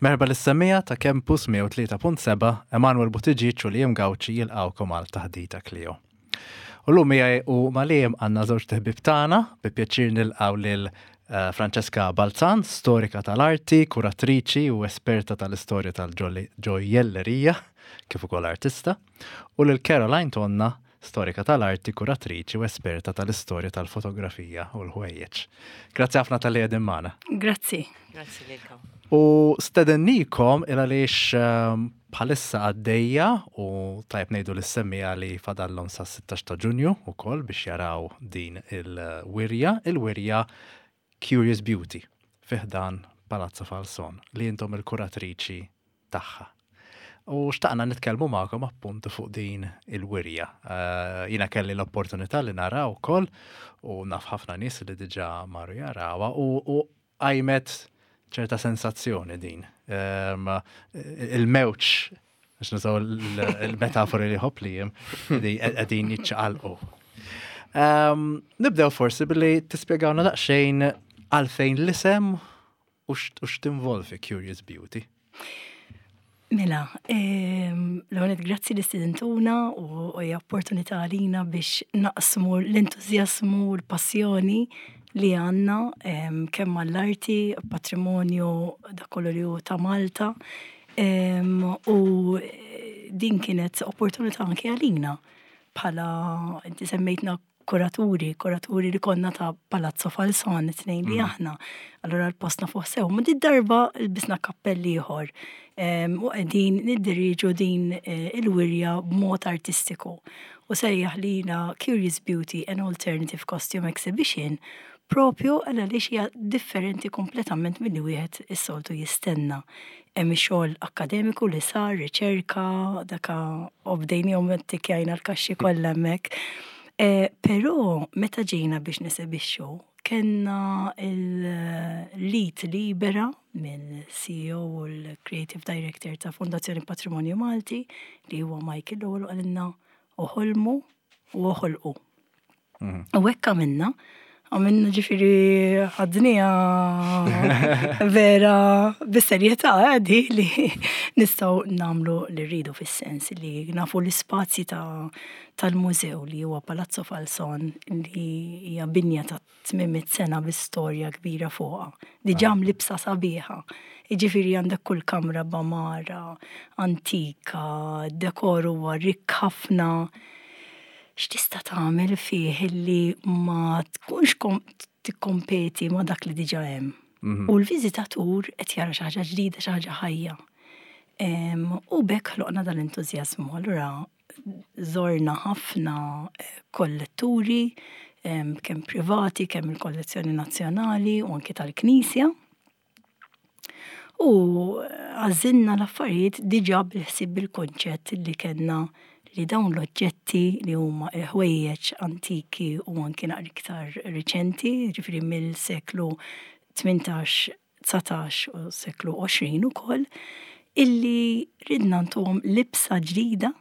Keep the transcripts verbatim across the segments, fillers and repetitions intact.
Merħba lis-semmiegħa ta' Campus mija u tlieta punt seba', Emanuel Buttigieg u Liam Gauci jilqgħukom għal Taħdita Klio. U llum miegħi u ma' Liam għandna żewġ ħbieb tagħna, bi pjaċir nilqgħu lil eh, Francesca Balzan, storika tal-arti, kuratriċi u esperta tal-istorja tal-ġojjellerija, kif ukoll artista, u lil Caroline Tonna, storika tal-arti, kuratriċi u esperta tal-istorja tal-fotografija u l-ħwejjeġ. Grazzi ħafna talli qegħdin magħna. Grazzi. Grazzi lilkom. U stedinnikom il għaliex ehm, bħalissa għaddejja u tajb ngħidu lis-semmiegħa li fadallhom sa sittax ta' Ġunju ukoll biex jaraw din il-wirja, il-wirja Curious Beauty fi ħdan Palazzo Falson li intom il-kuratriċi tagħha. U xtaqna nitkellmu magħkom appuntu fuq din il-wirja. Uh, Jiena kelli l-opportunità li naraw ukoll u naf ħafna nies li diġà marru jarawha u, u qajmet ċerta sensazzjoni din. Um, il-mewġ, biex nużaw il-metafori li jħobb Liam, li qegħdin jiċċaqalqu. Um, nibdew forsi billi tispjegawna daqsxejn għalfejn l-isem u x'tinvolvi Curious Beauty. Mela, l-għonet grazzi li stidintuna u hija opportunità għalina biex naqsmu l-entużjażmu u l-passjoni li għandna kemm għall-arti, patrimonju, dak kollu li hu ta' Malta. U din kienet opportunità anke għalina bħala, inti semmejtna kuraturi, kuraturi li konna ta' Palazzo Falson, it-tnejn li aħna. Allora l-post nafuh sew. Ma din darba lbisna kappell ieħor u qegħdin niddiriġu din eh, il-wirja b'mod artistiku. U sejjaħnielha Curious Beauty and Alternative Costume Exhibition propju għaliex hija differenti kompletament milli wieħed is-soltu jistenna. Hemm xogħol akkademiku li sar, riċerka, daka obdejnihom, ttikjajna l-kaxxi kollha hemmhekk. Eh, Però meta ġejna biex nesebixxu, kellna il-lead libera mill-C E O u l-Creative Director ta' Fondazzjoni Patrimonju Malti li huwa Michael Lowell, qalilna oħolmu u oħolqu. U hekk għamilna, għamilna, ġifieri ħadnieha vera bis-serjetà għadi li nistgħu nagħmlu li rridu, fis-sens li nafu l-ispazji ta' tal-mużew li huwa Palazzo Falson, li hija binja ta' tmien mitt sena bi storja kbira fuqha. Diġà libsa sabiħa. Jiġifieri għandek kull kamra b'għamara antika, dekor huwa rikk ħafna. X'tista' tagħmel fih li ma tkunx tikkompeti ma dak li diġà hemm? U l-viżitatur qed jara xi ħaġa ġdida, xi ħaġa ħajja. U b'hekk ħloqna dal-entużjażmu. Allura żorna ħafna eh, kolletturi, kemm privati, kemm il-kollezzjoni nazzjonali u anke tal-Knisja. U għażilna l-affarijiet diġà bil-ħsieb, bil-konċett li kellna li dawn l-oġġetti li huma ħwejjeġ antiki u anke naqra iktar riċenti, ġifieri mill-seklu tmintax, dsatax u seklu għoxrin ukoll, illi ridna ntuhom libsa ġdida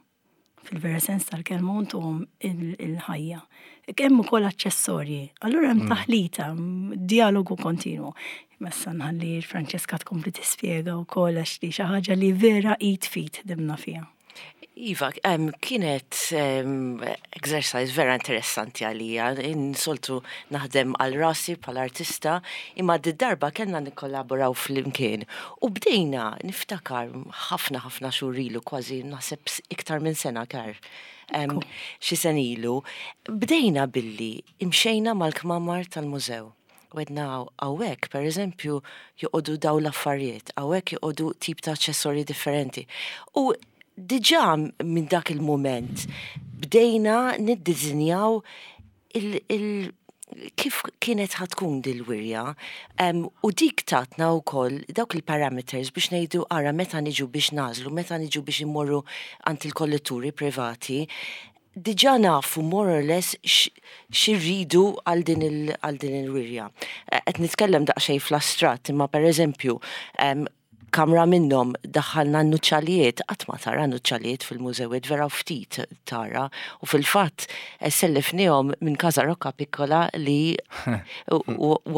fil-vera sens tal-kelma u ntuhom il-ħajja. Hemm ukoll aċċessorji, allura hemm taħlita, dialogu kontinwu. Messa nħalli Francesca tkompli tispjega wkoll għax li xi ħaġa li vera id f'id ħdimna fiha. Iva, um, kienet um, exercise vera interessanti għalija. Insoltu naħdem għal rasi bħal artista, imma d-darba kellna nikkollaboraw flimkien. U bdejna, niftakar, ħafna ħafna xhur ilu, kważi naħseb iktar minn sena kar. Um, xi sena ilu, bdejna billi imxejna mal-kmamar tal-mużew. U għedna hawnhekk, per eżempju, joqogħdu daw l-affarijiet, hawnhekk joqogħdu tip ta' aċċessorji differenti. U diġà minn dak il-moment bdejna niddizinjaw il, il, kif kienet ħa tkun dil-wirja um, u dik tatna wkoll dawk il-parameters biex ngħidu ara meta niġu biex nagħżlu, meta niġu biex immorru għand il-kolletturi privati, diġà nafu more or less x'irridu għal din il-wirja. Qed nitkellem daqsxejn fl-astratt, imma per eżempju, um, Kamra minnhom daħħalna nuċċalijiet, qatt ma tara nuċċalijiet fil-mużewiet, vera ftit tara, u fil-fatt eh, sellifnihom minn Casa Rocca Piccola li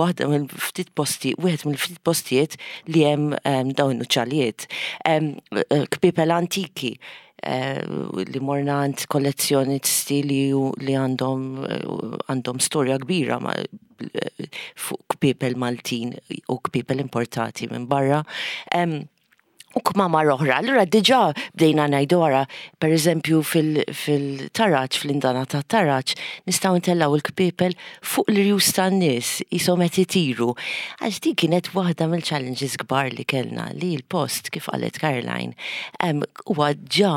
waħda mill-ftit posti, wieħed mill-ftit postijiet li hemm dawn nuċċalijiet. Eh, kpiepel antiki eh, li morna għand kollezzjonisti li li għandhom għandhom storja kbira ma' fuq kpiepel Maltin u kpiepel importati minn barra. U kmamar oħra. Allura diġà bdejna ngħidu wara, per eżempju fil-taraċ, fl-indana ta' taraċ, nistgħu ntellgħu il-kpiepel fuq l-irjus tan-nies, qishom qed itiru. Għax di kienet waħda mill-challenges kbar li kellna li l-post, kif qalet Caroline, huwa ġa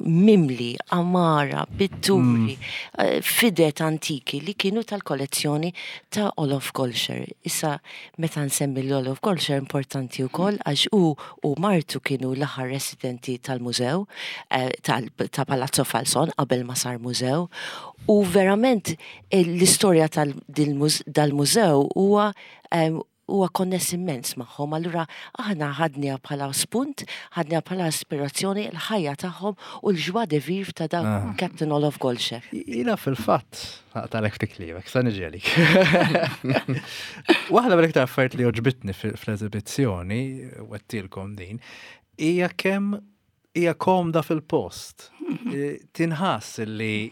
mimli, għamara, pitturi, mm. fidet antiki li kienu tal-kollezzjoni ta' Olof Gollcher. Issa, meta nsemmi l-Olof Gollcher importanti wkoll għax u u martu kienu l-aħħar residenti tal-mużew, eh, ta' Palazzo Falson qabel ma sar mużew, u verament l-istorja tal-mużew huwa huwa konness immens magħhom. Allura aħna ħadniha bħala spunt, ħadniha bħala ispirazzjoni l-ħajja tagħhom u l-joie de vivre ta' dak ah. Captain Olof Gollcher. Jiena fil-fatt, tal-ek tiklivek, sa niġelik. Waħda mill-iktar affarijiet li għoġbitni fl-eżibizzjoni, wettilkom din, hija kemm hija komda fil-post. Eh, tinħass illi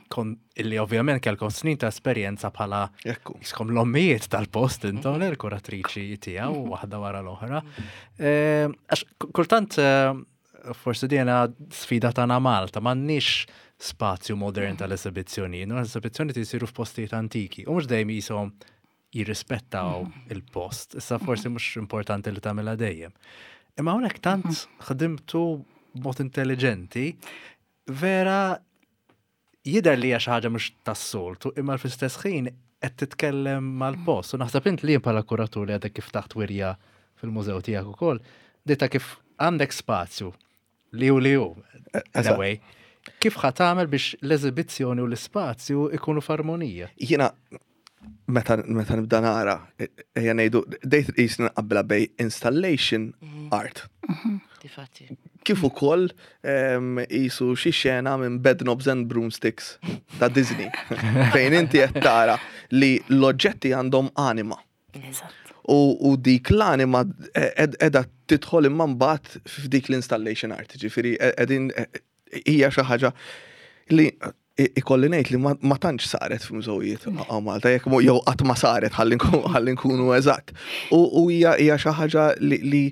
illi ovvjament kellkom snin ta' esperjenza bħala skom l-ommijiet tal-post intom l-kuratriċi tiegħu waħda wara l-oħra. Eh, għax kultant eh, forsi dina sfida tagħna Malta, m'għandniex spazju modern tal-esibizzjoni, l-esibizzjoni jsiru f'postijiet antiki u mhux dejjem jisom jirrispettaw il-post. Issa forsi mhux importanti li tagħmilha dejjem. Imma hawnhekk tant ħdimtu b'mod intelligenti, vera jidher li hija xi ħaġa mhux tas-soltu, imma fl-istess ħin qed titkellem mal-post. U naħseb int li bħala kuratur li għadek kif taħt wirja fil-mużew tiegħek ukoll, dita kif għandek spazju li hu li hu, in a way, kif ħa tagħmel biex l-eżibizzjoni u l-ispazju ikunu f'armonija? Jiena meta meta nibda nara, ejja ngħidu, dejt qisni nqabbla bejn installation mhm. art. Mhm. Difatti. Kif ukoll qisu xi xena minn Bedknobs and Broomsticks ta' Disney. Fejn inti qed tara li l-oġġetti għandhom anima. U, u dik l-anima edha tidħol imma mbagħad f'dik l-installation art, ġifieri qegħdin hija xi ħaġa li ikolli ngħid li ma tantx saret f'mużewijiet hawn Malta, jekk jew qatt ma saret ħalli nkunu eżatt. U hija hija xi ħaġa li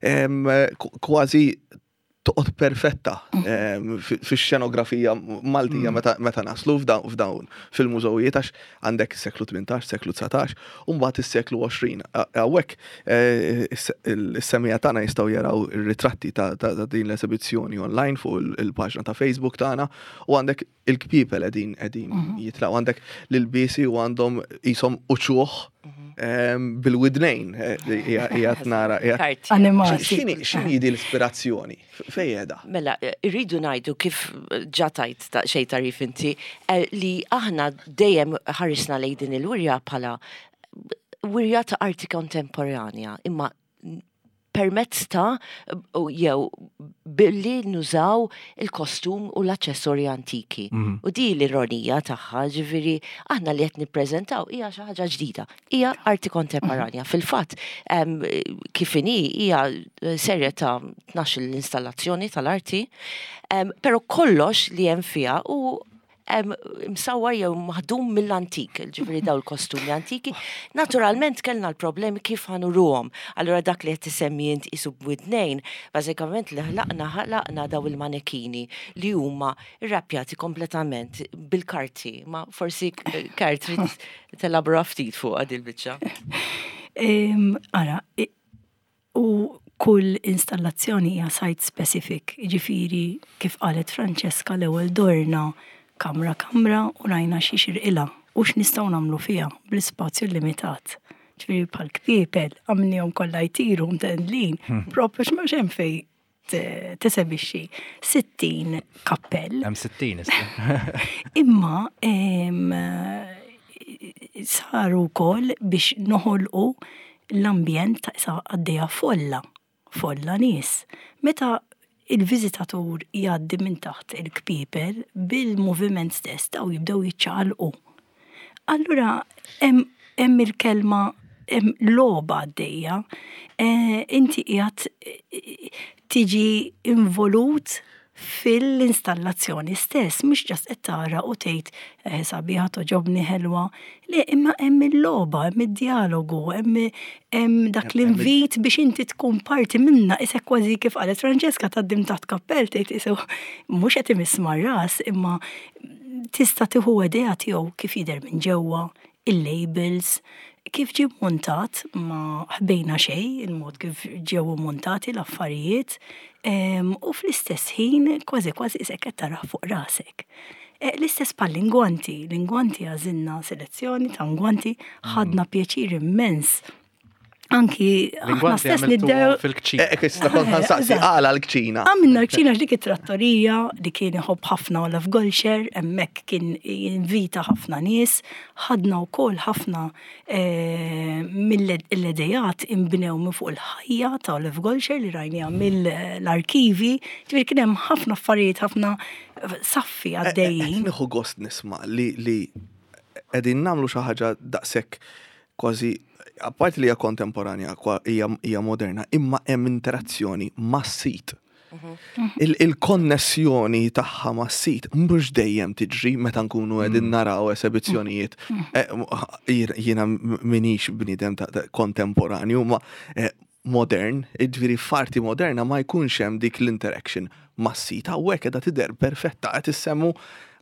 kważi toqgħod perfetta fix-xenografija Maltija mm. meta naslu f'dawn fil-mużewijiet għax għandek is-seklu tmintax, seklu dsatax, u mbagħad is-seklu għoxrin. Hawnhekk eh, is-semmiegħa tagħna jistgħu jaraw ir-ritratti ta' din l-esibizzjoni online fuq il-paġna ta' Facebook tagħna u għandek il-kpiepel qegħdin qegħdin mhm. jitlaqu, għandek l-ilbiesi u għandhom qishom uċuħ mhm. bil-widnejn eh, qiegħed nara. X'inhi di l-ispirazzjoni? Fejn qiegħda? Mela, irridu ngħidu kif ġa tajt ta' xejn tarif inti, eh, li aħna dejjem ħarisna lejn din il-wirja bħala wirja ta' arti kontemporanja, imma permezz ta' jew billi nużaw il-kostum u l-aċċessorji antiki. Mm. U di l-ironija tagħha, ġifieri aħna li qed nippreżentaw hija xi ħaġa ġdida, hija arti kontemporanja. Fil-fatt, kif inhi hija serje ta' tnax l-installazzjoni tal-arti, però kollox li hemm fiha u msawwar jew maħdum mill-antik, ġifieri daw l-kostumi antiki. Naturalment kellna l-problemi kif ħa nuruhom. Allura dak li qed tisemmi int qisu b'widnejn, bażikament li ħlaqna ħlaqna daw il-manekini li huma rrappjati kompletament bil-karti, ma forsi Kar trid telabora ftit fuq il-biċċa. Ara, u kull installazzjoni hija site specific, ġifieri kif qalet Francesca l-ewwel dorna kamra kamra u rajna xi xirqila u x'nistgħu nagħmlu fiha bl-ispazju limitat. Ġifieri bħal kpiepel għamilnihom kollha jtiru mtendlin, hmm. propju x'ma hemm fej tesebixxi sittin kappell. Hemm sittin issa. Imma saru wkoll biex noħolqu l-ambjent ta' isa għaddejja folla. folla nies. Meta il-viżitatur jgħaddi minn taħt il-kpiepel bil-moviment stess daw jibdew jiċċaqalqu. Allura hemm hemm il-kelma, hemm logħba għaddejja, eh, inti qiegħed eh, tiġi involut fil-installazzjoni stess, mhux just qed tara u tgħid eh, sabiħa, togħġobni, ħelwa. Le, imma hemm il-logħba, hemm id-dialogu, hemm hemm dak l-invit biex inti tkun parti minna, isek kważi kif qalet Francesca, tgħaddi minn taħt kappell, tgħid isew mhux qed imiss mar-ras, imma tista' tieħu idea tiegħu kif jidher minn ġewwa, il-labels, kif ġie montat, ma ħbejna xejn, il-mod kif ġew montati l-affarijiet, em, u fl-istess ħin kważi kważi isek qed taraħ fuq rasek. E, L-istess bħal l-ingwanti, l-ingwanti għażilna selezzjoni ta' ingwanti, ħadna pjaċir immens. Anki aħna L-ingwanti stess għamiltu niddew fil-kċina. Eh, Krista, kont ħa nsaqsi Eżatt. għala l-kċina. Għamilna l-kċina dik it-trattorija li kien iħobb ħafna Olaf Gollcher, hemmhekk kien jinvita ħafna nies, ħadna wkoll ħafna eh, mill-idejat imbnew minn fuq il-ħajja ta' Olaf Gollcher li rajnija mill-arkivi, ġifieri kien hemm ħafna affarijiet, ħafna saffi għaddejjin. Nieħu gost nisma' li li qegħdin nagħmlu xi ħaġa daqshekk kważi, apparti li hija kontemporanja, kwa- hija hija moderna, imma hemm interazzjoni mas-sit. Il- Il-konnessjoni tagħha mas-sit mhux dejjem tiġri meta nkunu qegħdin naraw esebizzjonijiet. Eh, Jiena minix bniedem ta' ta' kontemporanju, ma eh, modern, ġifieri f'arti moderna ma jkunx hemm dik l-interaction mas-sit. Hawnhekk qiegħda tidher perfetta, qed issemmu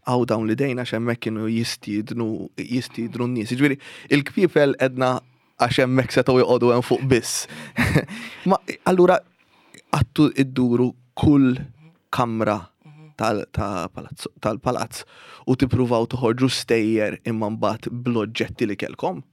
għaw dawn li dejna x'hemmhekk kienu jistiednu jistiednu n-nies. Ġifieri il-kpiepel edna għax hemmhekk setgħu joqogħdu hemm fuq biss. Ma allura għattu idduru kull kamra tal- ta' palazzo- tal-palazz u tippruvaw toħorġu stejjer imma mbagħad bl-oġġetti li kellkom.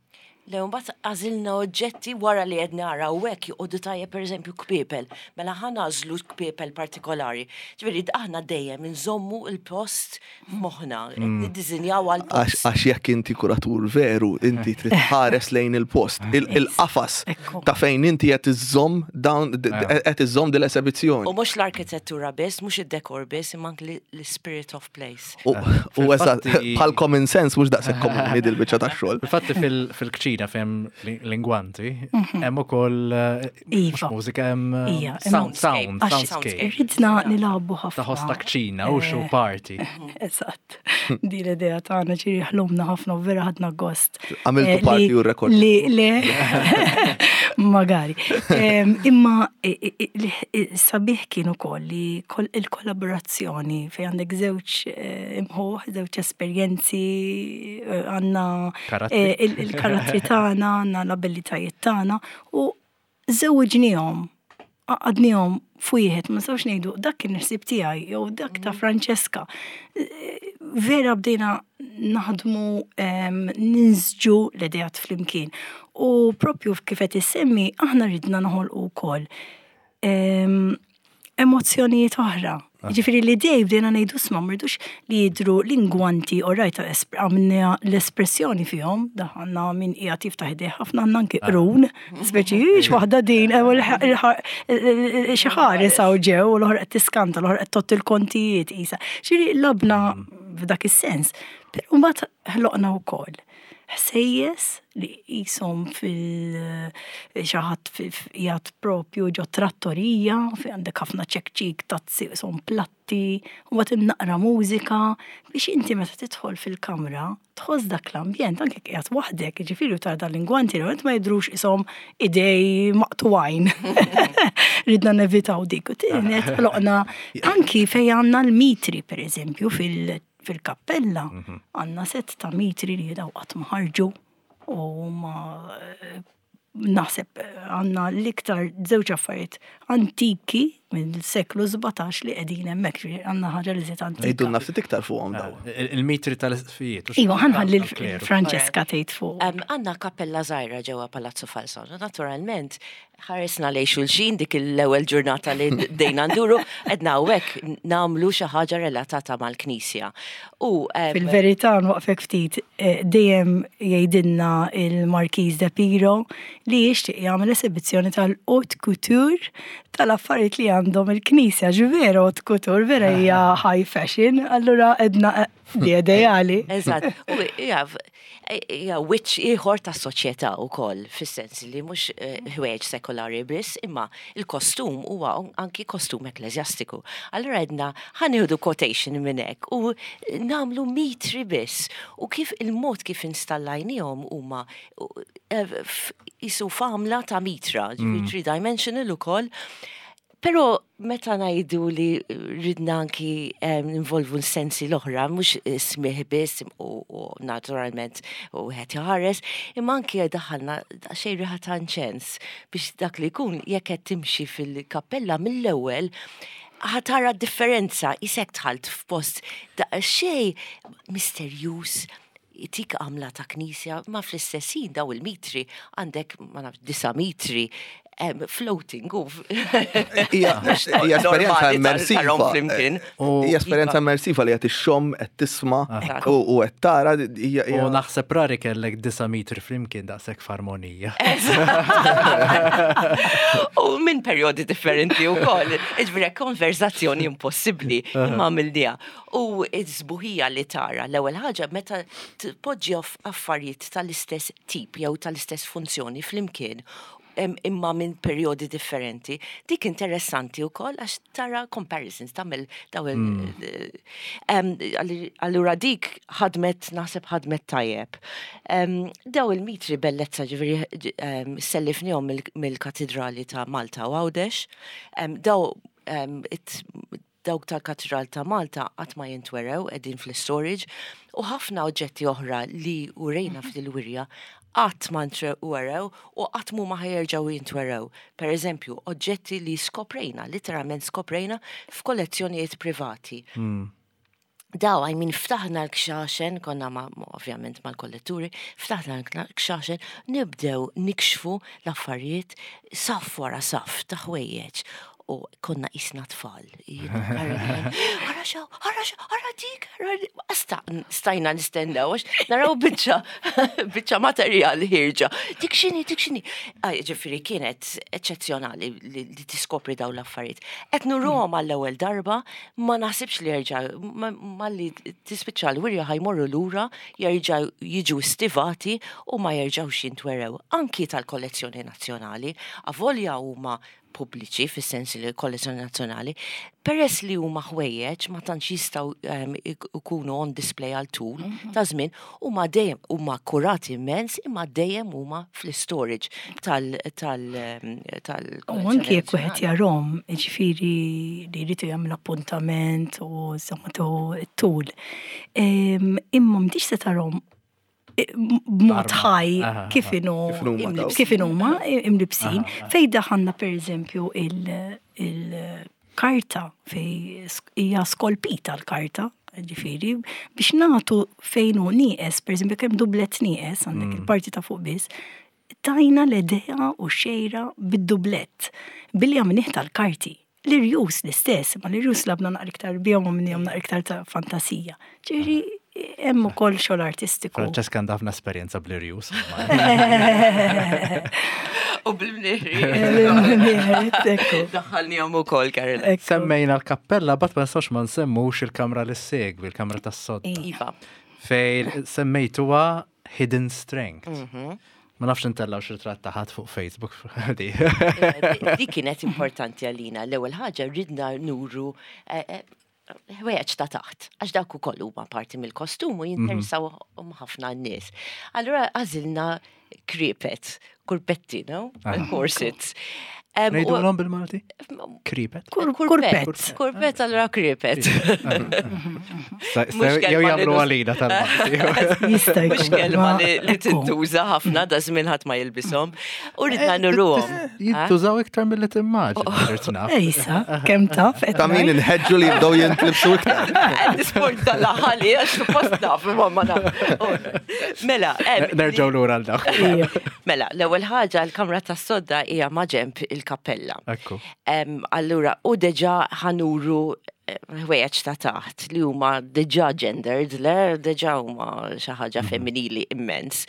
Le, mbagħad għażilna oġġetti wara li qed nara u hekk joqogħdu tajjeb, pereżempju kpiepel. Mela ħa nagħżlu kpiepel partikolari. Ġifieri aħna dejjem inżommu il-post f'moħħna, qed niddiżinjaw Għax għal-post. għax jekk inti kuratur veru, inti trid tħares lejn il-post, il- il-qafas Ekku. ta' fejn inti qed iżżomm dawn qed iżżomm din l-esebizzjoni. U mhux l-arkitettura biss, mhux id-dekor biss, imma anke l-spirit of place. U u eżatt, Fil-fatti- bħal common sense mhux daqshekk komuni dil-biċċa tax-xogħol. Fil-fatti fil- fil-kċina fejn l-ingwanti, hemm ukoll eh, mhux Iva. mużika, hemm eh, Ija, hemm sound, sound, Għax soundscape. Ridna nilagħbu ħafna. Ta' ħoss ta' kċina u xu party. Eżatt. Di l-idea tagħna, ġiri ħlomna ħafna u vera ħadna gost. Għamiltu Eh, party li- u rekord. Li, le, magari. Em, Imma i- i- i- li- i- sabiħ kien ukoll li kol- il-kollaborazzjoni fejn għandek żewġ eh, imħuħ, żewġ esperjenzi, eh, għandna Karattri. eh, il- il-karattri tagħna, għandna l-abilitajiet tagħna u żewġnihom, għadnihom f'wieħed, ma nistgħux ngħidu dak kien il-ħsieb tiegħi jew dak ta' Francesca. Vera bdejna naħdmu, em, ninsġu l-idejat flimkien. U propju kif qed issemmi, aħna ridna noħolqu wkoll em, emozzjonijiet oħra. Ġifieri l-idej bdejna ngħidu, isma', ma rridux li jidru l-ingwanti u rajta għamilna l-espressjoni fihom, daħanna min qiegħed jiftaħ idejh ħafna, għandna anki qrun, speċi ix waħda din, eh, u l- xi ħares hawn ġew, u l-oħra qed tiskanta, l-oħra qed tgħodd il-kontijiet isa. Ġifieri lgħabna f'dak is-sens. Però mbagħad ħloqna wkoll ħsejjes li jisom fil xi ħadd qiegħed propju ġo trattorija, fi għandek ħafna ċekċik, tazzi, son platti, u għat naqra mużika, biex inti meta tidħol fil-kamra, tħoss dak l-ambjent, anke qiegħed waħdek, ġifieri u tara dal-ingwanti, li ma jidrux isom idej maqtuwajn. Ridna nevitaw dik. U tinet ħloqna anki fej għandna l-mitri, per eżempju, fil- fil-kappella, għandna set ta' mitri li daw qatt ma ħarġu u ma eh, naħseb eh, għandna l-iktar żewġ affarijiet antiki mill-seklu sbatax li qegħdin hemmhekk, ġifieri għandna ħaġa li żiet antika. Għidulna ftit iktar fuqhom daw. Il- Il-mitri tal-isfijiet. Iva, ħa nħalli tal-kleru. Francesca tgħid fuq. Um, Għandna kappella żgħira ġewwa Palazzo Falson. U naturalment, ħaresna lejn xulxin dik l-ewwel ġurnata li dejna nduru, għedna hawnhekk nagħmlu xi ħaġa relatata mal-Knisja. U um, Fil-verità nwaqfek ftit, eh, dejjem jgħidilna il-Markiż de Piro li jixtieq jagħmel esibizzjoni tal-haute couture. tal-affarijiet li għandhom il-knisja, ġveru haute couture, vera hija high fashion, allura għedna eh, di ideali. Eżatt. U hija hija wiċċ ieħor ta' soċjetà wkoll, fis-sens li mhux eh, ħwejjeġ sekolari biss, imma il-kostum huwa anki kostum ekkleżjastiku. Allura għedna ħa nieħdu quotation minn hekk u nagħmlu mitri biss u kif il-mod kif installajnihom huma eh, f- jisu famla ta' mitra, ġifieri three dimensional ukoll. Pero meta ngħidu li ridna anki um, involvu l-sensi l-oħra, mhux smigħ biss u, u naturalment u qed jħares, imma anki daħalna xejn riħa ta' inċens biex dak li jkun jekk qed timxi fil-kappella mill-ewwel ħa tara differenza qisek dħalt f'post xejn misterjuż tik għamla ta' knisja, ma fl-istess ħin daw il-mitri għandek ma nafx disa mitri em, floating u Hija hija esperjenza immersiva. Flimkien. U- Hija esperjenza immersiva li qed ixxomm, qed tisma' u u qed tara hija U hija- naħseb rari kellek disa mitri flimkien daqshekk f'armonija. U minn periodi differenti u koll. Iġveri, konverzazzjoni impossibli imma għamilnieha. U id-sbuħija li tara, l-ewwel ħaġa meta tpoġġi affarijiet tal-istess tip jew tal-istess funzjoni flimkien em, imma minn periodi differenti, dik interessanti u koll għax tara comparisons, tagħmel daw il- em, Allura dik ħadmet, naħseb ħadmet tajjeb. Em, Daw il-mitri bellezza ġifieri em, sellifnihom mill- mill-katedrali ta' Malta u Għawdex. Em, Daw em, it- dawk tal-Katedral ta' Malta qatt ma jintwerew qegħdin fl-storage u ħafna oġġetti oħra li urejna fil-wirja qatt ma ntwerew u qatt mu ma ħa jerġgħu jintwerew. Per eżempju, oġġetti li skoprejna, literalment skoprejna f'kollezzjonijiet privati. Daw, I mean, ftaħna l-kxaxen, konna ma, ma- ovvjament mal-kolletturi, ftaħna l-kxaxen, nibdew nikxfu l-affarijiet saf wara saf ta' ħwejjeġ. U konna qisna tfal. Jiena, Caroline, Ara xaw, ara xaw, ara dik, ara dik. Asta, stajna nistennew, għax naraw biċċa, biċċa materjal ħierġa. Dik x'inhi, dik x'inhi. Aj, Ġifieri, kienet eċċezzjonali li, li tiskopri daw l-affarijiet. Qed nuruhom għall-ewwel darba, ma naħsibx li jerġa' ma malli tispiċċa l-wirja ħa jmorru lura, jerġa' jiġu stivati u ma jerġgħux jintwerew. Anki tal-kollezzjoni nazzjonali, avolja huma pubbliċi fis-sens li kollezzjoni nazzjonali, peress li huma ħwejjeġ ma tantx jistgħu um, ikunu on display għal tul ta' żmien huma dejjem huma kurati immens imma dejjem huma fl-storage tal tal em, tal U anki jekk wieħed jarahom, ġifieri li jridu jagħmel appuntament u żammatu t-tul. Em, Imma m'intix se tarahom eh, b'mod Arma. ħaj Aha, kif inhu Kif inhuma daw. kif inhuma imlibsin. Fej daħanna per eżempju il-karta fej sk- hija skolpita l-karta, ġifieri, biex nagħtu fejn hu nieqes, per eżempju kemm dublet nieqes, għandek il-parti ta' fuq biss, tajna l-idea u xejra bid-dublett, billi għamilnieh tal-karti. L-irjus l-istess, ma l-irjus lgħabna naqra iktar bihom u minnhom naqra iktar ta' fantasija. Ġifieri, hemm ukoll xogħol artistiku. Francesca għandha ħafna esperjenza bl-irjus. U bil-mniħri. Ekku. Daħħalnihom ukoll, Caroline. Ekku. Semmejna l-kappella, but ma nistgħux ma nsemmux il-kamra li segwi, il-kamra tas-sodda. Iva. Fej semmejtuha Hidden Strength. Ma nafx intellgħu xi ritratt ta' ħadd fuq Facebook. Di. Di kienet importanti għalina. L-ewwel ħaġa ridna nuru eh, eh, ħwejjeġ ta' taħt, għax dak ukoll huma parti mill-kostum u jinteressaw ħafna n-nies. Allura għażilna kripet, kurpetti, no? Corsets. Em, u- Ngħidulhom bil-Malti? Kripet? Kur- Kurpet. Kurpet. Kurpet, allura kripet. Sa- Mhux Jew kelma li jagħmlu nus- għalina tal-Malti. Jista' Mhux jkun. kelma ma- li li ekku. tintuża ħafna da żmien ħadd ma jilbishom. U ridna nuruhom. Jintużaw iktar milli timmaġina. Sirt naf. Ejsa, kemm taf? qed Ta' min ngħid. inħeġġu li jibdew jintlibsu iktar. Sport dal-ħali, għax suppost naf, imma ma naf. Mela, em, Nerġgħu lura għal dak. Ija. Mela, l-ewwel ħaġa l-kamra tas-sodda hija maġenb il-kappella. Ekku. Em, Allura, u deġa ħa nuru eh, ħwejjeġ ta' taħt li huma deġa gendered, le deġa huma xi ħaġa femminili immens.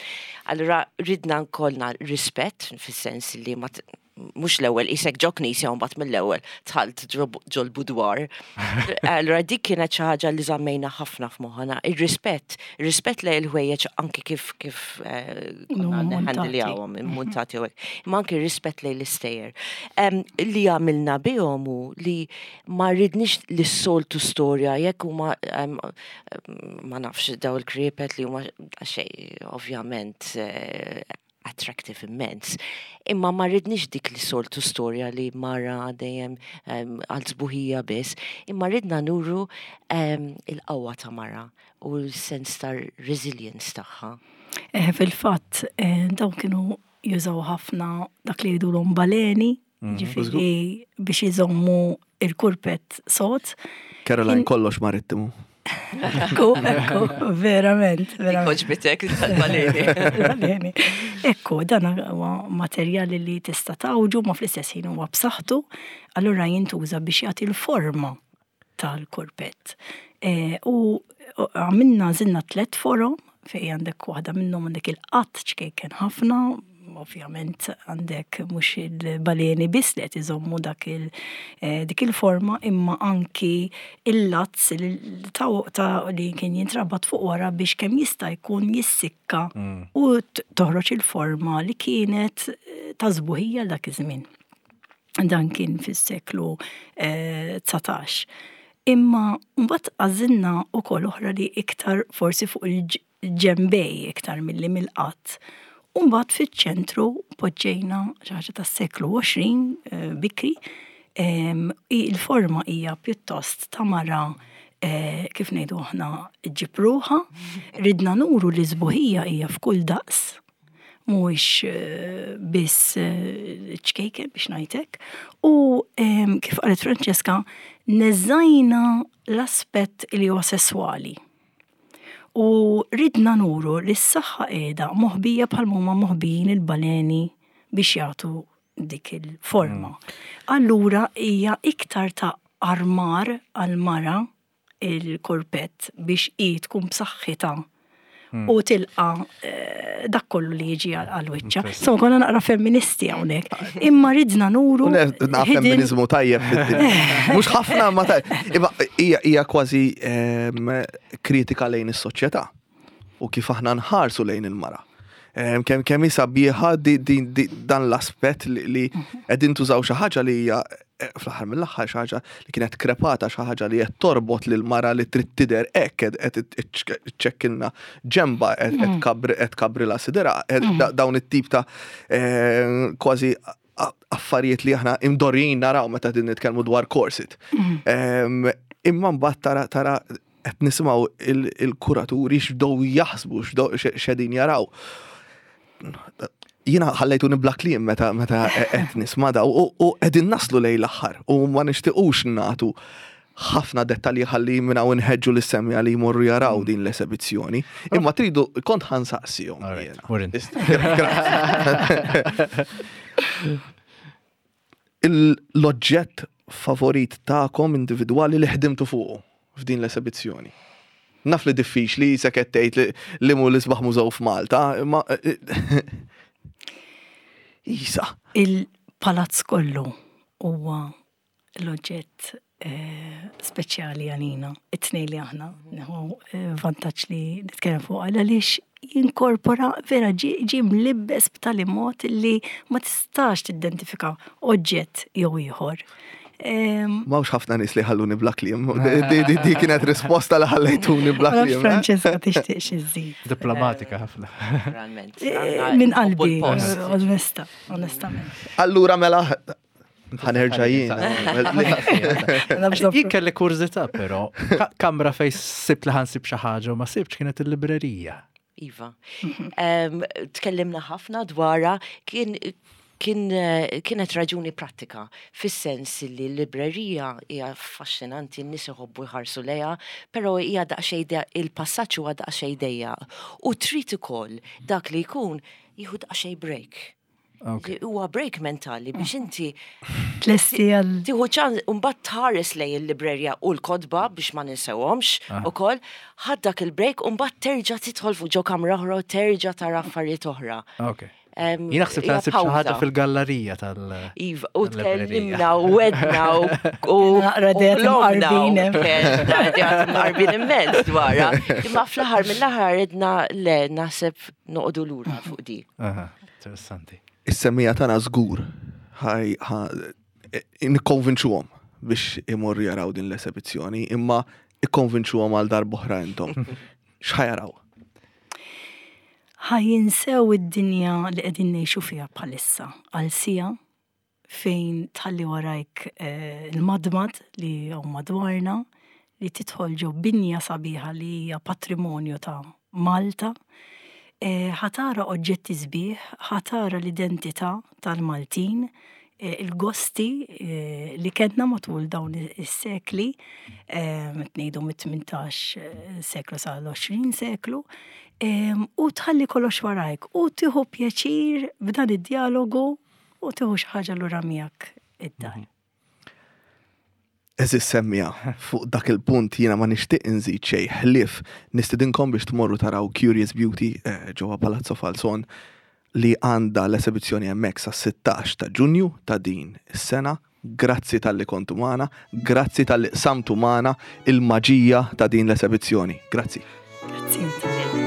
Allura, ridna nkollna rispett fis-sens li ma t- Mhux l-ewwel isek ġo knisja u mbagħad mill-ewwel dħalt ġol boudoir. Allura dik kienet xi ħaġa li żammejna ħafna f'moħħna. Ir-rispett, ir-rispett lejn il-ħwejjeġ anki kif kif eh, konna Muntati. neħandiljawhom, muntati u hekk. Imma anki rispett lejn l-istejjer. Em, Li għamilna bihom hu li ma ridniex l-soltu storja jekk huma em, ma nafx daw il-kripet li huma xej ovvjament eh, attractive immens. Imma ma ridniex dik li soltu storja li mara dejjem em, għal sbuħija biss, imma ridna nuru em, il-qawwa ta' mara u l-sens ta' resilience tagħha. Eh, Fil-fatt, eh, dawn kienu jużaw ħafna dak li jgħidulhom baleni, ġifieri biex iżommu il-kurpet sod. Caroline, kollox marittimu. Ekku, ekku, verament, verament. Għoġbitek tal-baleni. Baleni. Ekku, dan huwa materjali li tista' tawġu ma fl-istess ħin huwa b'saħħtu, allura jintuża biex jagħti l-forma tal-kurpett. E, U u għamilna zinna tlet forom fej għandek waħda minnhom għandek il-qatt ċkejken ħafna, ovvjament għandek mhux il-baleni biss li qed iżommu dak il eh, dik il-forma imma anki il-lazz li ta' ta' li kien jintrabat fuq wara biex kemm jista' jkun jissikka u t- toħroġ il-forma li kienet eh, ta' sbuħija dak iż-żmien. Dan kien fis-seklu eh, dsatax. Imma mbagħad għażilna wkoll oħra li iktar forsi fuq il-ġembej iktar milli mill-qatt. U mbagħad fiċ-ċentru poġġejna xi ħaġa tas-seklu għoxrin eh, bikri. em, i- Il-forma hija pjuttost ta' mara eh, kif ngħidu aħna ġipruħa, ridna nuru li sbuħija hija f'kull daqs, mhuwiex eh, biss eh, ċkejken biex ngħidlek. U em, kif qalet Francesca, neżajna l-aspett li huwa sesswali. U ridna nuru li s-saħħa qiegħda moħbija bħal huma moħbijin il-baleni biex jagħtu dik il-forma. Allura hija iktar ta' armar għal-mara il-korpett biex hi tkun b'saħħitha u tilqa eh, dak kollu li jiġi għal wiċċha. So konna naqra femministi hawnhekk. Imma ridna nuru U ne- na hidden- femminizmu tajjeb fid-dinja. Mhux ħafna ma tajjeb. Imma hija hija kważi em, kritika lejn is-soċjetà u kif aħna nħarsu lejn il-mara. Em, Kemm kemm hi sabiħa di- di- di- dan l-aspett li li qegħdin tużaw xi ħaġa li hija eh, fl-aħħar mill-aħħar xi ħaġa li kienet krepata, xi ħaġa li qed torbot lil mara li trid tidher hekk qed qed iċċekkilna ġemba qed qed kabri qed kabrilha sidera qed da- dawn it-tip ta' eh, kważi a- affarijiet li aħna imdorrijin naraw meta din nitkellmu dwar corset. Em, Imma mbagħad tara tara qed nisimgħu il- il-kuraturi x'bdew jaħsbu x'bdew x'qegħdin jaraw. Jiena ħallejtu bla kliem meta meta qed nisma' daw u u qegħdin naslu lejn l-aħħar u ma nixtiequx nagħtu ħafna dettalji ħalli minn hawn inħeġġu lis-semmiegħa li jmorru jaraw din l-esebizzjoni. Imma tridu kont ħa nsaqsihom All right, jiena. mur int. Grazzi. L-oġġett favorit tagħkom individwali li ħdimtu fuqu f'din l-esebizzjoni. Naf li diffiċli seket tgħid li li mhu l-isbaħ mużew f'Malta, imma Isa. Il-palazz kollu huwa l-oġġett eh, speċjali għalina, it-tnejn li aħna, nieħu eh, vantaġġ li nitkellem fuq għaliex jinkorpora vera ġi ġi mlibbes b'tali mod li ma tistax tidentifika oġġett jew ieħor. Em, M'hawnx ħafna nies li ħalluni bla kliem. Di, di, di kienet risposta li ħallejtuni bla Ma nafx kliem. eh? Francesca tixtieq xi żżid. Diplomatika ħafna. Realment. Eh, Minn qalbi, onesta, onestament. Allura mela ħa nerġa' jien. Jien kelli kurżità però, ka- kamra fej sibt li ħa nsib xi ħaġa u ma sibx kienet il-librerija. Iva. Em, Tkellimna ħafna dwarha kien kien eh, kienet raġuni pratika, fis-sens li l-librerija hija affaxxinanti, n-nies iħobbu jħarsu lejha, però hija daqsxejn de- il-passaġġ huwa daqsxejn dejjaq. U trid ukoll dak li jkun jieħu daqsxejn break. Ok. Huwa break mentali biex inti Tlesti għal tieħu ċans mbagħad tħares lejn il-librerija u l-kotba biex ma ninsewhomx ukoll, ħadd dak il-break u mbagħad terġa' tidħol fuq ġo kamra oħra u terġa' tara affarijiet oħra. Ok. Jien naħseb hija ta' xi ħaġa pawża. fil-gallerija tal. Iva, u tal-librerija. tkellimna u għedna u u Naqra dejat u ħlomna u imqarbin, eh. kellna dejat imqarbin immens dwarha. Imma fl-aħħar mill-aħħar għedna le, naħseb noqogħdu lura fuq di. Aha, interessanti. Is-semmiegħa tagħna żgur ħaj nikkonvinċuhom biex imorru jaraw din l-esebizzjoni, imma ikkonvinċuhom għal darb'oħra intom. X'ħa jaraw? Ħa jinsew id-dinja li qegħdin ngħixu fiha bħalissa għal siegħa fejn tħalli warajk eh, il-madmad li hawn madwarna, li tidħol ġo binja sabiħa li hija patrimonju ta' Malta. Eh, ħa tara oġġetti sbieħ, ħa tara l-identità tal-Maltin, eh, il-gosti eh, li kellna matul dawn is-sekli, eh, ngħidu mit-tmintax seklu sal-għoxrin seklu, em, u tħalli kollox warajk u tieħu pjaċir b'dan id-dialogu u tieħu xi ħaġa lura miegħek id-dar. Għeżież semmiegħa, fuq dak il-punt jiena ma nixtieq inżid xejn ħlief nistidinkom biex tmorru taraw Curious Beauty eh, ġewwa Palazzo Falson, li għandha l-esebizzjoni hemmhekk sa sittax ta' Ġunju ta' din is-sena. Grazzi talli kontu magħna, grazzi talli qsamtu magħna il-maġija ta' din l-esebizzjoni. Grazzi. Grazzi inti.